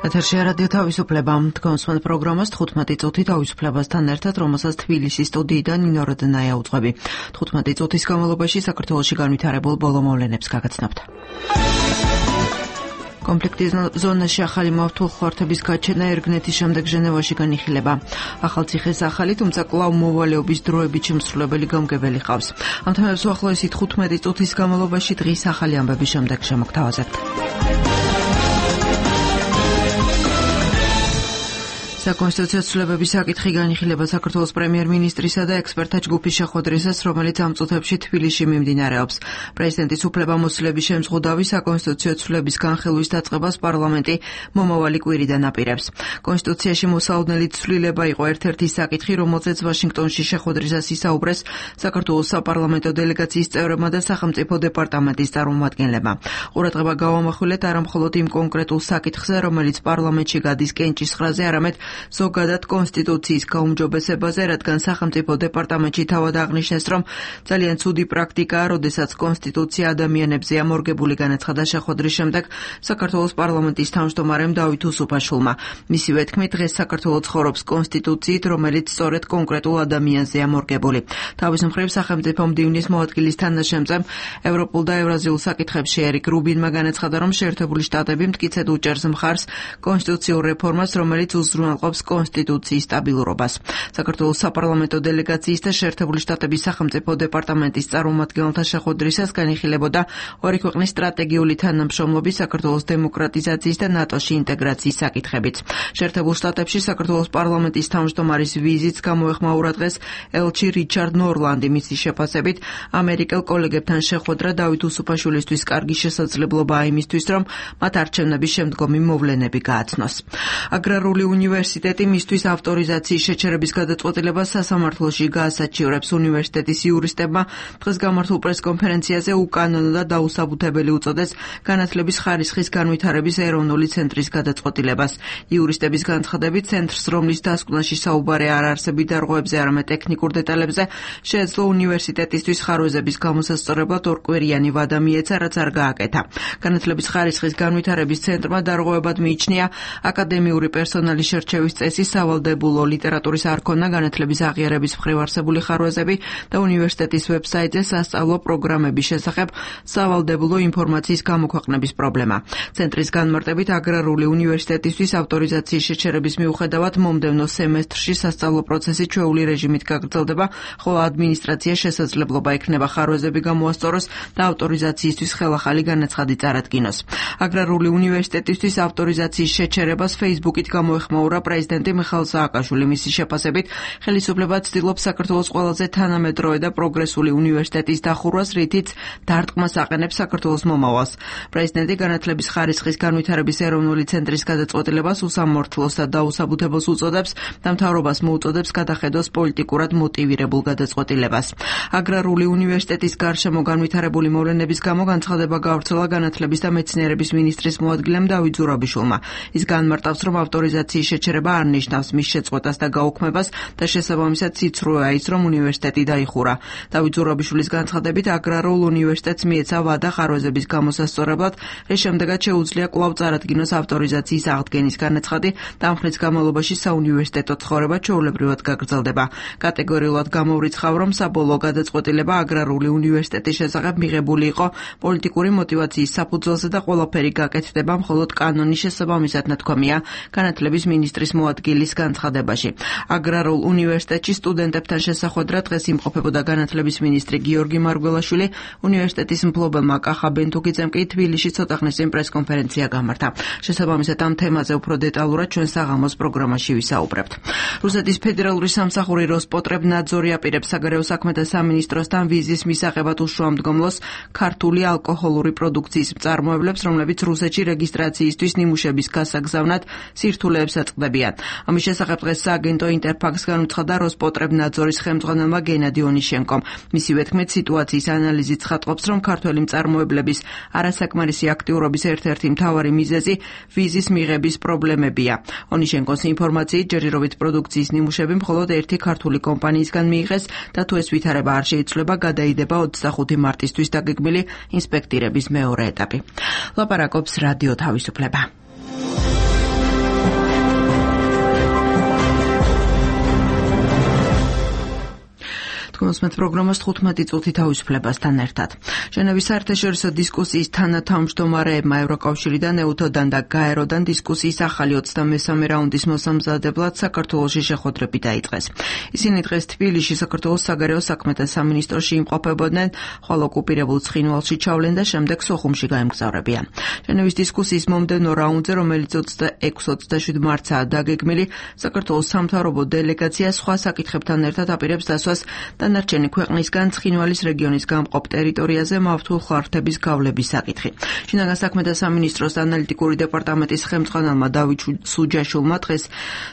ეთერში რადიო თავისუფლება. თქვენ პროგრამას 15 წუთი თავისუფლებასთან ერთად, რომელსაც თბილისის სტუდიიდან ნინო როდნაია უძღვები. 15 წუთის განმავლობაში საქართველოში განვითარებულ ბოლო მოვლენებს გაგაცნობთ. კონფლიქტის ზონაში ახალი მავთულხმართების გაჩენა ერგნეთის შემდეგ ჟენევაში განიხილება. ახალციხეს ახალი, თუმცა კვლავ მოვალეობის დროებით შემსრულებელი გამგებელი ყავს. ამ თემებს უახლოესი 15 წუთის განმავლობაში დღის ახალი ამბების შემდეგ შემოგთავაზებთ. საკონსტიტუციო ცვლილებების საკითხი განიხილება საქართველოს პრემიერ-მინისტრისა და ექსპერტთა ჯგუფის შეხვედრისას, რომელიც ამ წუთებში თბილისში მიმდინარეობს. პრეზიდენტის უფლებამოსილების შემზღუდავი საკონსტიტუციო ცვლილების განხილვის დაწყებას პარლამენტი მომავალი კვირიდან აპირებს. კონსტიტუციაში მოსალოდნელი ცვლილება იყო ერთ-ერთი საკითხი, რომელზეც ვაშინგტონში შეხვედრისას ისაუბრეს საქართველოს საპარლამენტო დელეგაციის წევრებმა და სახელმწიფო დეპარტამენტის წარმომადგენლებმა. ყურადღება გავამახვილეთ არა მხოლოდ იმ კონკრეტულ საკითხზე, რომელიც პარლამენტში გადის კენჭისყრაზე, არამედ ზოგადად კონსტიტუციის გაუმჯობესებაზე, რადგან სახელმწიფო დეპარტამენტში თავად აღნიშნეს, რომ ძალიან ცუდი პრაქტიკაა, როდესაც კონსტიტუცია ადამიანებზე ამორგებული, განაცხადა შეხვედრის შემდეგ საქართველოს პარლამენტის თავმჯდომარემ დავით უსუფაშვილმა. მისივე თქმით, დღეს საქართველო ცხოვრობს კონსტიტუციით, რომელიც სწორედ კონკრეტულ ადამიანზე ამორგებული. თავის მხრივ სახელმწიფო მდივნის მოადგილის თანაშემწემ ევროპულ და ევრაზიულ საკითხებში ერიკ რუბინმა განაცხადა, რომ შეერთებული შტატები მტკიცედ უჭერს მხარს კონსტიტუციურ რეფორმას, რომელიც უზრუნველყოფს კონსტიტუციის სტაბილურობას. საქართველოს საპარლამენტო დელეგაციის და შეერთებული შტატების სახელმწიფო დეპარტამენტის წარმომადგენელთა შეხვედრისას განიხილებოდა ორი ქვეყნის სტრატეგიული თანამშრომლობის, საქართველოს დემოკრატიზაციის და ნატოში ინტეგრაციის საკითხებიც. შეერთებულ შტატებში საქართველოს პარლამენტის თავმჯდომარის ვიზიტს გამოეხმაურა დღეს ელჩი რიჩარდ ნორლანდი. მისი შეფასებით, ამერიკელ კოლეგებთან შეხვედრა დავით უსუფაშვილისთვის კარგი შესაძლებლობაა იმისთვის, რომ მათ არჩევნების შემდგომი მოვლენები გააცნოს. აგრარული უნივერსიტეტი მისთვის ავტორიზაციის შეჩერების გადაწყვეტილებას სასამართლოში გაასაჩივრებს. უნივერსიტეტის იურისტებმა დღეს გამართულ პრესკონფერენციაზე უკანონო და დაუსაბუთებელი უწოდეს განათლების ხარისხის განვითარების ეროვნული ცენტრის გადაწყვეტილებას. იურისტების განცხადებით, ცენტრს, რომლის დასკვნაში საუბარი არ არსებით დარღვევებზე, არამედ ტექნიკურ დეტალებზე, შეეძლო უნივერსიტეტისთვის ხარვეზების გამოსასწორებლად ორკვირიანი ვადა მიეცა, რაც არ გააკეთა. განათლების ხარისხის განვითარების ცენტრმა დარღვევებად მიიჩნია აკადემიური პერსონალის შერჩევის წესი, სავალდებულო ლიტერატურის არქონა, განათლების აღიარების მხრივ არსებული ხარვეზები და უნივერსიტეტის ვებსაიტზე სასწავლო პროგრამების შესახებ სავალდებულო ინფორმაციის გამოქვეყნების პრობლემა. ცენტრის განმარტებით, აგრარული უნივერსიტეტისთვის ავტორიზაციის შეჩერების მიუხედავად მომდევნო სემესტრში სასწავლო პროცესი ჩვეული რეჟიმით გაგრძელდება, ხოლო ადმინისტრაცია შესაძლებლობა ექნება ხარვეზები გამოასწოროს და ავტორიზაციისთვის ხელახალი განაცხადი წარადგინოს. აგრარული უნივერსიტეტისთვის ავტორიზაციის შეჩერებას Facebook-ით გამოეხმაურა პრეზიდენტი მიხაილ სააკაშვილი. მისი შეფასებით, ხელისუფლება ცდილობს საქართველოს ყველაზე თანამედროვე და პროგრესული უნივერსიტეტის დახურვას, რითიც დარტყმას აყენებს საქართველოს მომავალს. პრეზიდენტი განათლების ხარისხის განვითარების ეროვნული ცენტრის გადაწყვეტილებას უსამართლოს და დაუსაბუთებელს უწოდებს და მთავრობას მოუწოდებს გადახედოს პოლიტიკურად მოტივირებულ გადაწყვეტილებას. აგრარული უნივერსიტეტის გარშემო განვითარებული მოვლენების გამო განცხადება გავრცელა განათლების და მეცნიერების მინისტრის მოადგილემ დავით ზურაბიშვილმა. ის განმარტავს, რომ ავტორიზაციის შეჩერება არ ნიშნავს მის შეწყვეტას და გაუქმებას და შესაბამისად ციცრუეა ის, რომ უნივერსიტეტი დაიხურა. დავით ზურაბიშვილის განცხადებით, აგრარულ უნივერსიტეტს მიეცა ვადა ხარვეზების გამოსასწორებლად, რის შემდეგაც შეუძლია კვლავ წარადგინოს ავტორიზაციის აღდგენის განაცხადი და ამ ხნის განმავლობაში საუნივერსიტეტო ცხოვრება ჩვეულებრივად გაგრძელდება. კატეგორიულად გამოვრიცხავ, რომ საბოლოო გადაწყვეტილება აგრარული უნივერსიტეტის შესახებ მიღებული იყო პოლიტიკური მოტივაციის საფუძველზე და ყველაფერი გაკეთდება მხოლოდ კანონის შესაბამისად, ნათქვამია განათლების მინისტრის მოადგილის განცხადებაში. აგრარულ უნივერსიტეტში სტუდენტებთან შესახვედრა დღეს იმყოფებოდა განათლების მინისტრი გიორგი მარგველაშვილი. უნივერსიტეტის მფლობელმა კახა ბენთუგიძემ კი თბილისში ცოტა ხნის წინ პრესკონფერენცია გამართა. შესაბამისად ამ თემაზე უფრო დეტალურად ჩვენ საღამოს პროგრამაში ვისაუბრებთ. რუსეთის ფედერალური სამსახური როსპოტრებნაძორი აპირებს საგარეო საქმეთა სამინისტროსთან ვიზის მისაღებად უშუამდგომლოს ქართული ალკოჰოლური პროდუქციის მწარმოებლებს, რომლებიც რუსეთში რეგისტრაციისთვის ნიმუშების გასაგზავნად სირთულეებს აწყდებიან. ამის შესახებ დღეს სააგენტო ინტერფაქს განუცხადა როსპოტრებნაძორის ხელმძღვანელმა გენადი ონიშენკომ. მისივე თქმით, სიტუაციის ანალიზით ცხადყოფს, რომ ქართველი მწარმოებლების არასაკმარისი აქტიურობის ერთ-ერთი მთავარი მიზეზი ვიზის მიღების პრობლემებია. ონიშენკოს ინფორმაციით, ჯერჯერობით პროდუქციის ნიმუშები მხოლოდ ერთი ქართული კომპანიისგან მიიღეს და თუ ეს ვითარება არ შეიცვლება, გადაიდება 25 მარტისთვის დაგეგმილი ინსპექტირების მეორე ეტაპი. ლაპარაკობს რადიო თავისუფლება. Თქვენს პროგრამას 15 წუთი თავისუფლებასთან ერთად. ჟენევის საერთაშორისო დისკუსიის თანათავმჯდომარეებმა ევროკავშირიდან, ეუთოდან და გაეროდან დისკუსიის ახალი 23 რაუნდის მოსამზადებლად საქართველოში შეხვედრები დაიწყეს. ისინი დღეს თბილისში საქართველოს საგარეო საქმეთა სამინისტროში იმყოფებოდნენ, ხოლო ოკუპირებულ ცხინვალში ჩავლენ და შემდეგ სოხუმში გაემგზავრებიან. ჟენევის დისკუსიის მომდევნო რაუნდზე, რომელიც 26-27 მარტსაა დაგეგმილი, საქართველოს სამთავრობო დელეგაცია სხვა საკითხებთან ერთად აპირებს დასვას დანარჩენი ქვეყნისგან ცხინვალის რეგიონის გამყოფ ტერიტორიაზე მავთულ ხარჯების გავლების საკითხი. შინაგან საქმეთა სამინისტროს ანალიტიკური დეპარტამენტის ხელმძღვანელმა დავით სუჯაშვილმა დღეს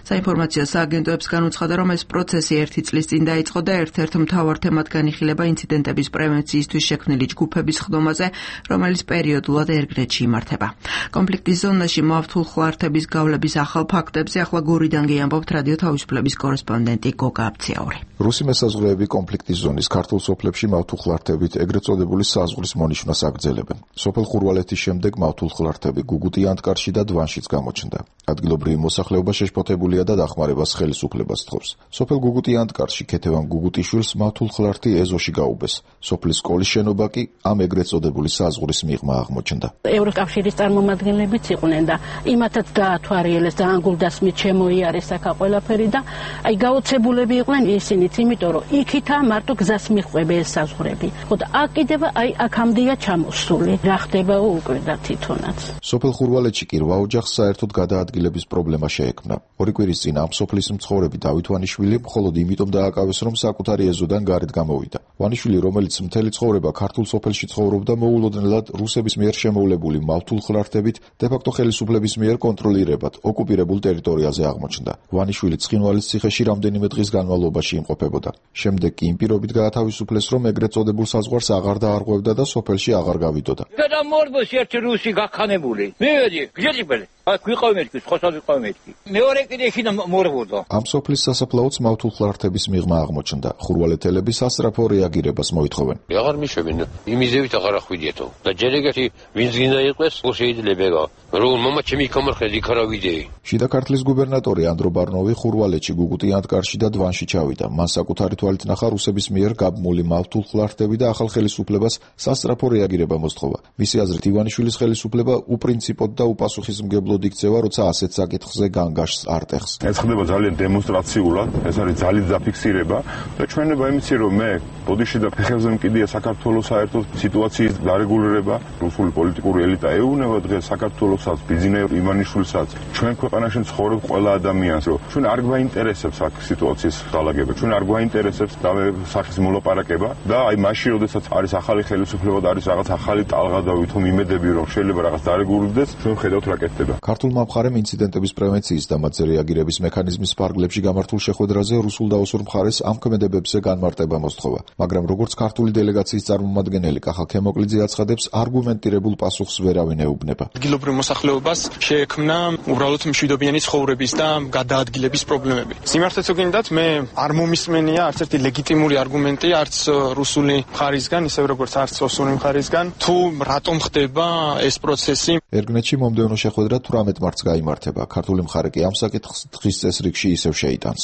საინფორმაციო სააგენტოებს განუცხადა, რომ ეს პროცესი 1 წლის წინ დაიწყო და ერთ-ერთ მთავარ თემად განიხილება ინციდენტების პრევენციისთვის შექმნილი ჯგუფების ხდომაზე, რომელიც პერიოდულად ერგრეთში იმართება. კონფლიქტის ზონაში მავთულ ხარჯების გავლების ახალ ფაქტებზე ახლა გორიდან გიამბობთ რადიო თავისუფლების კორესპონდენტი გოგა აბციაური. რუსი მესაზღვრეები კონფლიქტის ზონის ქართულ სოფლებში მავთულ ხლართებით ეგრეთ წოდებული საზღვრის მონიშნვას აგრძელებენ. სოფელ ხურვალეთის შემდეგ მავთულ ხლართები გუგუტი ანტკარში და დვანშიც გამოჩნდა. ადგილობრივი მოსახლეობა შეშფოთებულია და დახმარებას ხელისუფლებას თხოვს. სოფელ გუგუტი ანტკარში ქეთევან გუგუტიშვილს მავთულ ხლართი ეზოში გაუბეს. სოფლის სკოლის შენობა კი ამ ეგრეთ წოდებული საზღვრის მიღმა აღმოჩნდა. ევროკავშირის წარმომადგენლებიც იყვნენ და იმათაც გაათვალიერეს და ანგულდასმით შემოიარეს აქა ყველაფერი და აი გაოცებულები იყვნენ ისინიც, იმიტომ რომ იქითა მარტო გზას მიხვები ეს საზღვრები. ხოდა აქ კიდევ აი აქამდეა ჩამოსული. რა ხდება უკვე და თვითონაც. სოფელ ხურვალეთში კი 8 ოჯახს საერთოდ გადაადგილების პრობლემა შეექმნა. ორი კვირის წინ ამ სოფლის მცხოვრები დავით ვანიშვილი მხოლოდ იმიტომ დააკავეს, რომ საკუთარი ეზოდან გარეთ გამოვიდა. ვანიშვილი, რომელიც მთელი ცხოვრება ქართულ სოფელში ცხოვრობდა, მოულოდნელად რუსების მიერ შემოვლებული მავთულ ხლართებით დე-ფაქტო ხელისუფლების მიერ კონტროლირებად ოკუპირებულ ტერიტორიაზე აღმოჩნდა. ვანიშვილი ცხინვალის ციხეში რამდენიმე დღის განმავლობაში იმყოფებოდა. შემდეგ კი იმ პირობით გაათავისუფლეს, რომ ეგრეთ წოდებულ საზღვარს აღარ დაარღვევდა და სოფელში აღარ გავიდოდა. გადამორბოს ერთი რუსი გაქანებული. მივედი, გიჭიბელი. აქ ვიყავმეთკი, ხოსად ვიყავმეთკი. მეორე კიდე შიდა მორბოდა. ამ სოფლის სასაფლაოც მავთულ ხლართების მიღმა აღმოჩნდა. ხურვალეთელები სასწრაფო რეაგირებას მოითხოვენ. აღარ მიშვებენ, იმიზევით აღარ ახვიდიეთო. და ჯერ ეგეთი ვინც გინდა იყოს, შეიძლება. რომ მამა ჩემი გამარხეთ იქ არა ვიდეი. შიდა ქართლის გუბერნატორი ანდრო ბარნოვი ხურვალეთში გუგუტი ანტკარში და დვანში ჩავიდა. მან საკუთარი თვალით ნახა რუსების მიერ გაბმული მავთულ ხლართები და ახალ ხელისუფლებას სასწრაფო რეაგირება მოსთხოვა. მისი აზრით ივანიშვილის ხელისუფლება უპრინციპოდ და უპასუხისმგებლოდ იქცევა, როცა ასეთ საკითხზე განგაშს არ ტეხს. ეს ხდება ძალიან დემონსტრაციულად, ეს არის ძალით დაფიქსირება და ჩვენება იმიცი, რომ მე ბოდიში და ფეხებზე მკიდია საქართველოს საერთოდ სიტუაციის დარეგულირება, რუსული პოლიტიკური ელიტა ეუბნება დღეს საქართველოსაც, ბიზნეს ივანიშვილსაც, ჩვენ ქვეყანაში ცხოვრობ ყველა ადამიანს, რომ ჩვენ არ გვაინტერესებს აქ სიტუაციის დალაგება, ჩვენ არ გვაინტერესებს და სახის მოლაპარაკება და აი მაშინ, როდესაც არის ახალი ხელისუფლება და არის რაღაც ახალი ტალღა და ვითომ იმედები, რომ შეიძლება რაღაც დარეგულირდეს, ჩვენ ხედავთ რა კეთდება. ქართულმა მხარემ ინციდენტების პრევენციის და მათზე რეაგირების მექანიზმის ფარგლებში გამართულ შეხვედრაზე რუსულ და ოსურ მხარეს ამ ქმედებებზე განმარტება მოსთხოვა. მაგრამ როგორც ქართული დელეგაციის წარმომადგენელი კახა ქემოკლიძე აცხადებს, არგუმენტირებულ პასუხს ვერავინ ეუბნება. ადგილობრივ მოსახლეობას შეექმნა უბრალოდ მშვიდობიანი ცხოვრების და გადაადგილების პრობლემები. სიმართლეც გინდათ, მე არ მომისმენია არც ერთი ლეგიტიმური არგუმენტი, არც რუსული მხარისგან, ისევ როგორც არც ოსური მხარისგან, თუ რატომ ხდება ეს პროცესი. ერგნეთში მომდევნო შეხვედრა 18 მარტს გაიმართება. ქართული მხარე კი ამ საკითხს დღის წესრიგში ისევ შეიტანს.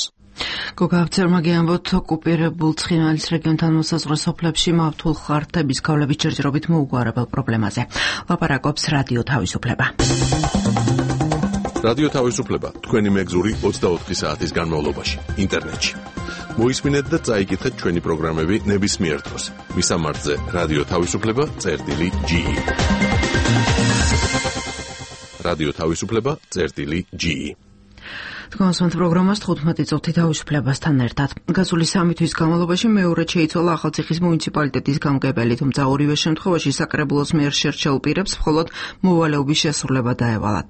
გოგა აბცერმა გიამბობთ, ოკუპირებულ ცხინვალის რეგიონთან მოსაზღვრე სოფლებში მავთულ ხარჯების გავლების ჯერჯერობით მოუგვარებელ პრობლემაზე. ლაპარაკობს რადიო თავისუფლება. რადიო თავისუფლება თქვენი მეგზური 24 საათის განმავლობაში ინტერნეტში. მოისმინეთ და წაიკითხეთ ჩვენი პროგრამები ნებისმიერ დროს. მისამართზე რადიო თავისუფლება.ge. რადიო თავისუფლება.ge. თქვენს პროგრამას 15 წუთი თავისუფლებასთან ერთად. გასული 3 თვის განმავლობაში მეორედ შეიცვალა ახალციხის მუნიციპალიტეტის გამგებელი, თუმცა ორივე შემთხვევაში საკრებულოს მიერ შერჩეულ პირებს მხოლოდ მოვალეობის შესრულება დაევალათ.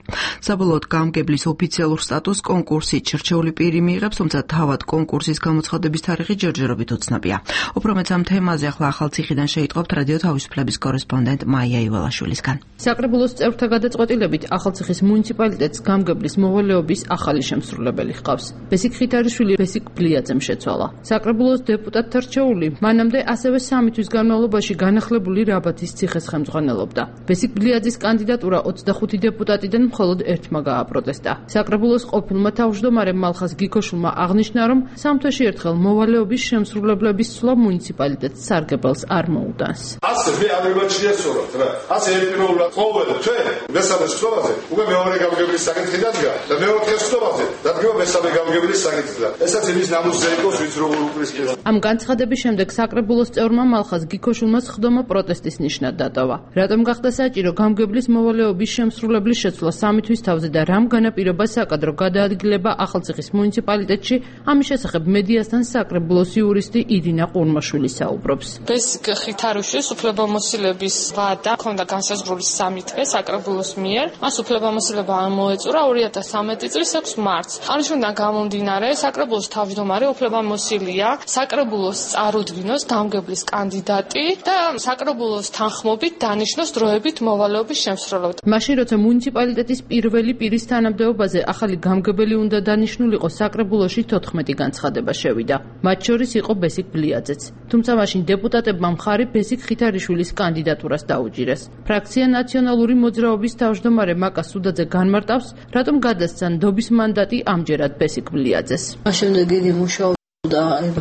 საბოლოოდ გამგებლის ოფიციალურ სტატუსს კონკურსით შერჩეული პირი მიიღებს, თუმცა თავად კონკურსის გამოცხადების თარიღი ჯერჯერობით უცნობია. უფრო მეც ამ თემაზე ახლა ახალციხიდან შეიტყობთ რადიო თავისუფლების კორესპონდენტ მაია ივალაშვილისგან. საკრებულოს წევრთა გადაწყვეტილებით ახალციხის მუნიციპალიტეტს გამგებლის მოვალეობის ახალი შემსრულებელი ჰყავს. ბესიკ ხითარიშვილი ბესიკ ბლიაძემ შეცვალა. საკრებულოს დეპუტატთა რჩეული მანამდე ასევე 3 თვის განმავლობაში განახლებული რაბათის ციხეს ხელმძღვანელობდა. ბესიკ ბლიაძის კანდიდატურა 25 დეპუტატიდან მხოლოდ ერთმა გააპროტესტა. საკრებულოს ყოფილმა თავმჯდომარემ მალხას გიქოშულმა აღნიშნა, რომ 3 თვეში ერთხელ მოვალეობის შემსრულებლების ცვლა მუნიციპალიტეტს სარგებელს არ მოუდანს. ასე მე ამერმაჩია სწორად რა. ასე ერთპიროვნულად ყოველ თვე მესამე სიტყვაზე უკვე მეორე გამგებლის საკითხი დადგა და მეოთხე სიტყვაზე დადგება მესამე გამგებლის საკითხი და ესაც იმის ნამუსზე იყოს ვინც როგორ უკრისკეს. ამ განცხადების შემდეგ საკრებულოს წევრმა მალხას გიქოშულმა სხდომა პროტესტის ნიშნად დატოვა. რატომ გახდა საჭირო გამგებლის მოვალეობის შემსრულებლის შეცვლა 3 თვის თავზე და რამ განაპირობა საკადრო გადაადგილება ახალციხის მუნიციპალიტეტში, ამის შესახებ მედიასთან საკრებულოს იურისტი ირინა ყურმაშვილი საუბრობს. ბესიკ ხითარიშვილის უფლებამოსილების ვადა ქონდა განსაზღვრული 3 თვე საკრებულოს მიერ. მას უფლებამოსილება მოეწურა 2013 წლის 6 მარტს. ამისგან გამომდინარე, საკრებულოს თავმჯდომარე უფლებამოსილია საკრებულოს წარუდგინოს გამგებლის კანდიდატი და საკრებულოს თანხმობით დანიშნოს დროებით მოვალეობის შემსრულებლად. მაშინ როცა მუნიციპალიტეტის პირველი პირის თანამდებობაზე ახალი გამგებელი უნდა დანიშნულიყო, საკრებულოში 14 განცხადება შევიდა. მათ შორის იყო ბესიკ ბლიაძეც. თუმცა მაშინ დეპუტატებმა მხარი ბესიკ ხითარიშვილის კანდიდატურას დაუჭირეს. ფრაქცია ნაციონალური მოძრაობის თავმჯდომარე მაკა სუდაძე განმარტავს, რატომ გადასცა ნდობის მანდატი ამჯერად ბესიკ ბლიაძეს. შემდეგ იგი მუშაობდა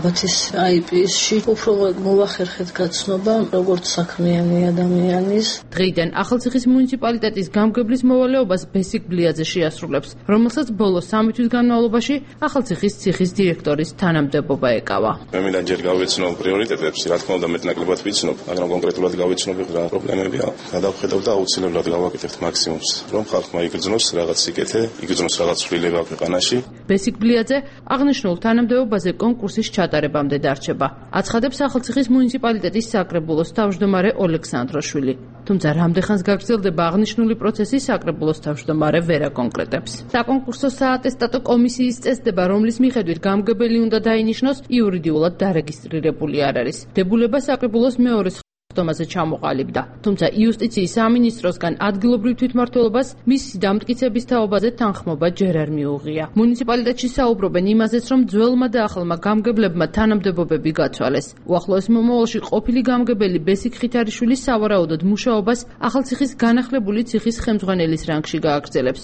ბათის IP-ში უფრო მოვახერხეთ გაცნობა როგორც საქმიანი ადამიანის. დღეიდან ახალციხის მუნიციპალიტეტის გამგებლის მოვალეობას ბესიკ ბლიაძე შეასრულებს, რომელსაც ბოლო 3 თვის განმავლობაში ახალციხის ციხის დირექტორის თანამდებობა ეკავა. მე მინდა ჯერ გავეცნო პრიორიტეტებს, რა თქმა უნდა მეტნაკლებად ვიცნობ, მაგრამ კონკრეტულად გავეცნობ რა პრობლემებია. გადავხედავ და აუცილებლად გავაკეთებთ მაქსიმუმს, რომ ხალხმა იგრძნოს რაღაც სიკეთე, იგრძნოს რაღაც ცვლილება ქვეყანაში. ბესიკ ბლიაძე აღნიშნულ თანამდებობაზე კონკურსის ჩატარებამდე დარჩება. აცხადებს ახალციხის მუნიციპალიტეტის საკრებულოს თავმჯდომარე ოლექსანდროშვილი. თუმცა რამდენხანს გაგრძელდება აღნიშნული პროცესი, საკრებულოს თავმჯდომარე ვერ აკონკრეტებს. საკონკურსო საატესტატო კომისიის წესდება, რომლის მიხედვით გამგებელი უნდა დაინიშნოს, იურიდიულად დარეგისტრირებული არ არის. დებულება საკრებულოს მეორე სხდომაზე ჩამოყალიბდა. თუმცა იუსტიციის სამინისტროსგან ადგილობრივ თვითმმართველობას მისი დამტკიცების თაობაზე თანხმობა ჯერ არ მიუღია. მუნიციპალიტეტში საუბრობენ იმაზეც, რომ ძველმა და ახალმა გამგებლებმა თანამდებობები გაცვალეს. უახლოეს მომავალში ყოფილი გამგებელი ბესიკ ხითარიშვილის სავარაუდოდ მუშაობას ახალციხის განახლებული ციხის ხელმძღვანელის რანგში გააგრძელებს.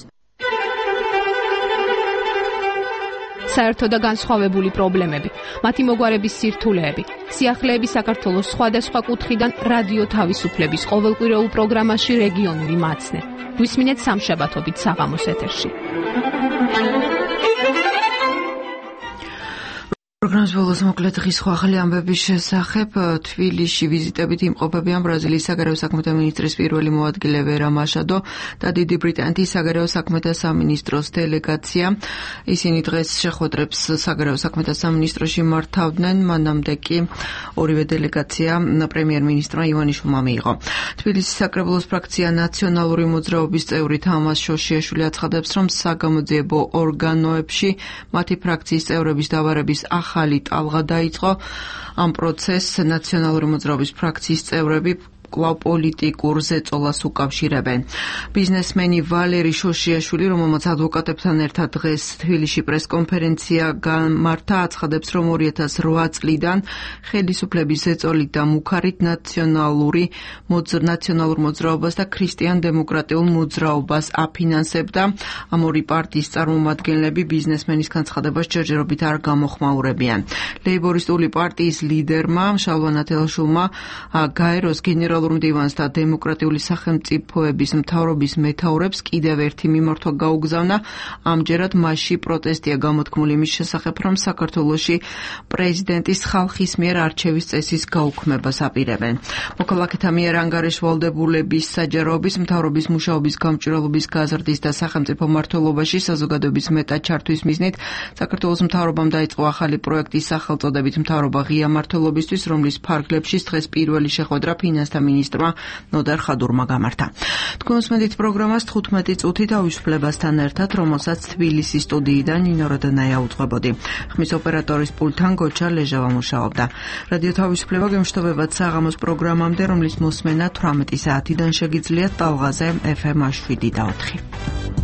საერთო და განსხვავებული პრობლემები, მათი მოგვარების სირთულეები, სიახლეები საქართველოს სხვადასხვა კუთხიდან რადიო თავისუფლების ყოველკვირეულ პროგრამაში რეგიონული მაცნე. გვისმინეთ სამშაბათობით საღამოს ეთერში. პროგრამის ბოლოს მოკლედ დღის სხვა ახალი ამბების შესახებ თბილისში ვიზიტებით იმყოფებიან ბრაზილიის საგარეო საქმეთა მინისტრის პირველი მოადგილე ვერა მაშადო და დიდი ბრიტანეთის საგარეო საქმეთა სამინისტროს დელეგაცია. ისინი დღეს შეხვედრებს საგარეო საქმეთა სამინისტროში მართავდნენ, მანამდე კი ორივე დელეგაცია პრემიერ-მინისტრმა ივანიშვილმა მიიღო. თბილისის საკრებულოს ფრაქცია ნაციონალური მოძრაობის წევრი თამაზ შოშიაშვილი აცხადებს, რომ საგამოძიებო ორგანოებში მათი ფრაქციის წევრების დავარების ახალი ტალღა დაიწყო. ამ პროცესს ნაციონალური მოძრაობის ფრაქციის წევრები კვლავ პოლიტიკურ ზეწოლას უკავშირებენ. ბიზნესმენი ვალერი შოშიაშვილი, რომელმაც ადვოკატებთან ერთად დღეს თბილისში პრესკონფერენცია გამართა, აცხადებს, რომ 2008 წლიდან ხელისუფლების ზეწოლით და მუქარით ნაციონალურ მოძრაობას და ქრისტიან-დემოკრატიულ მოძრაობას აფინანსებდა. ამ ორი პარტიის წარმომადგენლები ბიზნესმენის განცხადებას ჯერჯერობით არ გამოხმაურებიან. ლეიბორისტული პარტიის ლიდერმა შალვა ნათელაშვილმა გაეროს გენერალურ მდივანს და დემოკრატიული სახელმწიფოების მთავრობის მეთაურებს კიდევ ერთი მიმართვა გაუგზავნა. ამჯერად მასში პროტესტია გამოთქმული იმის შესახებ, რომ საქართველოში პრეზიდენტის ხალხის მიერ არჩევის წესის გაუქმებას აპირებენ. მოქალაქეთა მიერ ანგარიშვალდებულების საჯაროების მთავრობის მუშაობის გამჭვირვალობის გაზრდის და სახელმწიფო მმართველობაში საზოგადოების მეტად ჩართვის მიზნით საქართველოს მთავრობამ დაიწყო ახალი პროექტი სახელწოდებით მთავრობა ღია მმართველობისთვის, რომლის ფარგლებშიც დღეს პირველი შეხვედრა ფინანსთა მინისტრმა ნოდარ ხადურმა გამართა. თქვენ უსმენთ პროგრამას 15 წუთი თავისუფლებასთან ერთად, რომელსაც თბილისის სტუდიიდან ნინო როდანაია უძღვებოდი. ხმის ოპერატორის პულტთან გოჩა ლეჟავა მუშაობდა. რადიო თავისუფლება გემშვიდობებათ საღამოს პროგრამამდე, რომლის მოსმენა 18 საათიდან შეგიძლიათ ტალღაზე FM 7 და 4.